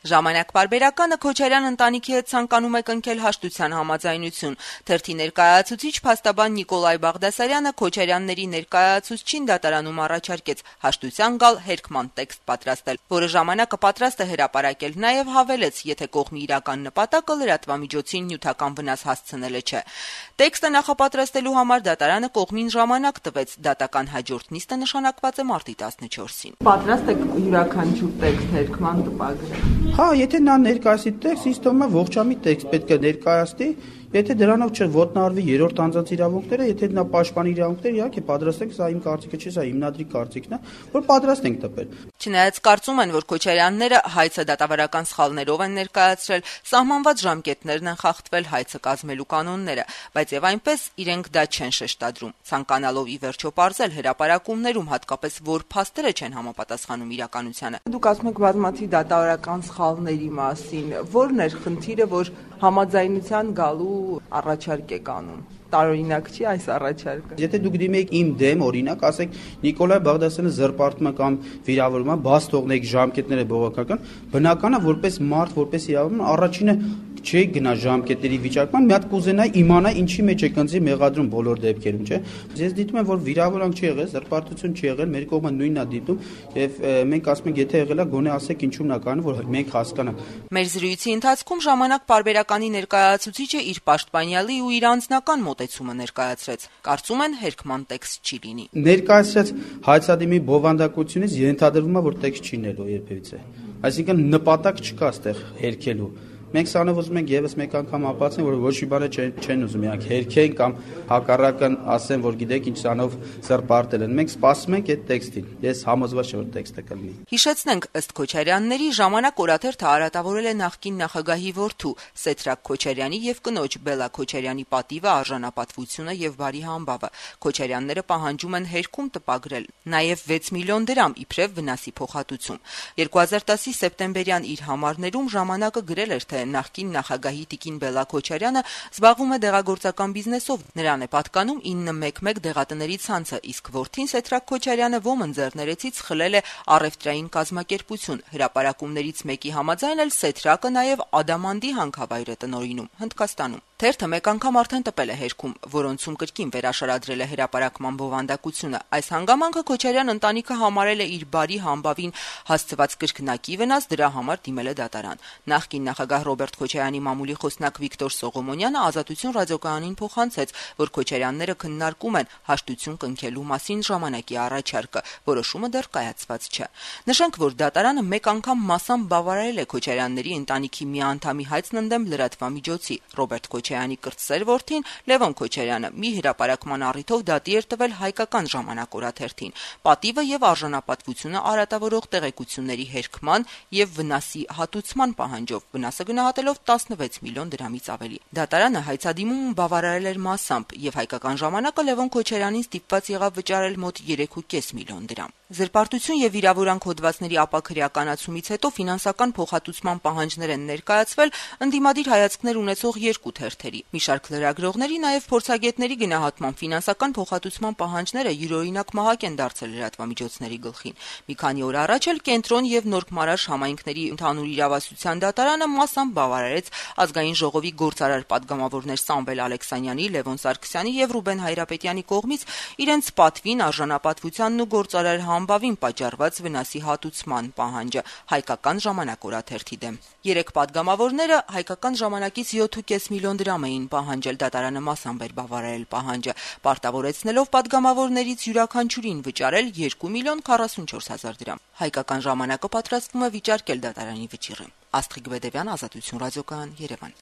Ժամանակ պարբերականը Քոչարյան ընտանիքի հետ ցանկանում է կնքել հաշտության համաձայնություն։ Թերթի ներկայացուցիչ փաստաբան Նիկոլայ Բաղդասարյանը Քոչարյանների ներկայացուցչին դատարանում առաջարկեց հաշտության գալ հերքման տեքստ պատրաստել, որը ժամանակը պատրաստ է հրապարակել, նաև հավելեց, եթե կողմի իրական նպատակը լրատվամիջոցին նյութական վնաս հասցնելը չէ։ Տեքստը նախապատրաստելու համար դատարանը կողմին ժամանակ տվեց, դատական հաջորդ նիստը նշանակված է մարտի 14-ին։ Պատրաստ եք յուրաքանչյուր տեքստ հերքման տպագրել։ Հա, եթե նա ներկայացի տեքստ, ինձ թվում է ողջամիտ տեքստ պետք է ներկայացնի, եթե դրանով չոտնահարվի երրորդ անձանց իրավունքները, եթե նա պաշտպանի իրավունքները, իհարկե պատրաստ ենք, սա իմ կարծիքը չէ, սա հիմնադրի կարծիքն է, որ պատրաստ ենք տպել։ Չնայած կարծում են, որ Քոչարյանները հայցը դատավարական սխալներով են ներկայացրել, սահմանված ժամկետներն են խախտվել հայցը կազմելու կանոնները, բայց եւ այնպես իրենք դա չեն շեշտադրում, ցանկանալով ի վերջո պարզել հրապարակումներում, հատկապես որ փաստերը չեն համապատասխանում իրականությանը։ Դուք ասում եք բազմաթիվ դատավարական սխալների մասին, որն էր խնդիրը, որ համաձայնության գալու առաջարկ եք անում։ Տարօրինակ չի այս առաջարկը։ Եթե դուք դիմեք իմ դեմ, օրինակ, ասեք Նիկոլայ Բաղդասարյանը զրպարտում է կամ վիրավորում է, բաց թողնեք ժամկետները բողոքական, բնական է, որպես մարդ, որպես իրավաբան, առաջինը չի գնա ժամկետների վիճակման, մի հատ կուզենայի իմանալ ինչի մեջ է կնձի մեղադրում բոլոր դեպքերում, չէ։ Ես դիտում եմ, որ վիրավորանք չի եղել, զրպարտություն չի եղել, մեր կողմը նույնն է դիտում, եւ մենք ասում ենք, եթե եղել է, գոնե ասեք ինչու՞մն է կանում, որ մենք հասկանանք։ Մեր զրույցի ընթացքում ժամանակ պարբերականի ներկայացուցիչը իր պաշտպանյալի ու իր անձնական մոտեցումը ներկայացրեց։ Կարծում են հերքման տեքստ չի լինի։ Ներկայացրած հայցադիմի բովանդակությունից ենթադրվում է, որ տեքստ չի լինելու երբևիցե։ Այսինքն նպատակ չկա այստեղ հերքելու։ Մենք սրանով ուզում ենք եւս մեկ անգամ ապացուցենք, որ ոչ մի բան չեն ուզում իրանք հերքեն կամ հակառակն ասեն, որ գիտեք ինչ սրանով զրպարտել են։ Մենք սպասում ենք այդ տեքստին։ Ես համոզված եմ, որ տեքստը կլինի։ Հիշեցնենք, ըստ Քոչարյանների, ժամանակ օրաթերթը արատավորել է նախկին նախագահի որդու Սեդրակ Քոչարյանի եւ կնոջ Բելա Քոչարյանի պատիվը, արժանապատվությունը եւ բարի համբավը։ Քոչարյանները պահանջում են հերքում տպագրել նաեւ 6 միլիոն դրամ իբրև վնասի փոխհատուցում։ 2010-ի սեպտեմբերյան իր համարներում ժամանակը գրել էր, թե նախկին նախագահի Տիկին Բելա Քոչարյանը զբաղվում է դեղագործական բիզնեսով, նրան է պատկանում 911 դեղատների ցանցը, իսկ որդին Սեդրակ Քոչարյանը ոմն ձեռներեցից խլել է առևտրային կազմակերպություն։ Հրապարակումներից մեկի համաձայն էլ Սեդրակը նաև Ադամանդի հանքավայր է տնօրինում Հնդկաստանում։ Թերթը մեկ անգամ արդեն տպել է հերքում, որոնցում կրկին վերաշարադրել է հրապարակման բովանդակությունը։ Այս հանգամանքը Քոչարյան ընտանիքը համարել է իր բարի համբավին հասցված կրկնակի վնաս, դրա համար դիմել է դատարան։ Նախկին նախագահ Ռոբերտ Քոչարյանի մամուլի խոսնակ Վիկտոր Սողոմոնյանը Ազատություն ռադիոկայանին փոխանցեց, որ Քոչարյանները քննարկում են հաշտություն կնքելու մասին ժամանակի առաջարկը, որոշումը դեռ կայացված չէ։ Նշենք, որ դատարանը մեկ անգամ մասամբ բավարարել է Քոչարյանների ընտանիքի մի անդամի հայցն ընդդեմ լրատվամիջոցի Ռոբերտ Քոչարյանի կրտսեր որդին Լևոն Քոչարյանը մի հրապարակման առիթով դատի էր տվել Հայկական ժամանակ օրաթերթին։ Պատիվը եւ արժանապատվությունը արատավորող տեղեկությունների հերքման եւ վնասի հատուցման պահանջով, վնասը գնահատելով 16 միլիոն դրամից ավելի։ Դատարանը հայցադիմում բավարարել էր մասամբ եւ Հայկական ժամանակը Լևոն Քոչարյանին ստիպված եղավ վճարել մոտ 3.5 միլիոն դրամ։ Զրպարտություն եւ վիրավորանք հոդվածների ապաքրեականացումից հետո ֆինանսական փոխհատուցման պահանջներ են ներկայացվել ընդդիմադիր հայացքներ ունեցող երկու թերթերի։ Մի շարք լրագրողների, նաև փորձագետների գնահատման ֆինանսական փոխհատուցման պահանջները յուրօրինակ մահակ են դարձել լրատվամիջոցների գլխին։ Մի քանի օր առաջ էլ Կենտրոն եւ Նորք-Մարաշ համայնքների ընդհանուր իրավասության դատարանը մասամբ բավարարեց ազգային ժողովի գործարար պատգամավորներ Սամվել Ալեքսանյանի, Լևոն Սարգսյանի եւ Ռուբեն Հայրապետյանի կողմից իրենց պատվին, արժանապատվությանն ու գործարար համբավին պատճառված վնասի հատուցման պահանջը Հայկական ժամանակ օրաթերթի դեմ։ Երեք պատգամավորները Հայկական ժամանակից 7.5 միլիոն դրամ էին պահանջել, դատարանը մասամբ էր բավարարել պահանջը, պարտավորեցնելով պատգամավորներից յուրաքանչյուրին վճարել 2 միլիոն 44 հազար դրամ։ Հայկական ժամանակը պատրաստվում է վիճարկել դատարանի վճիռը։ Աստղիկ Բեդևյան, Ազատություն ռադիոկայան, Երևան։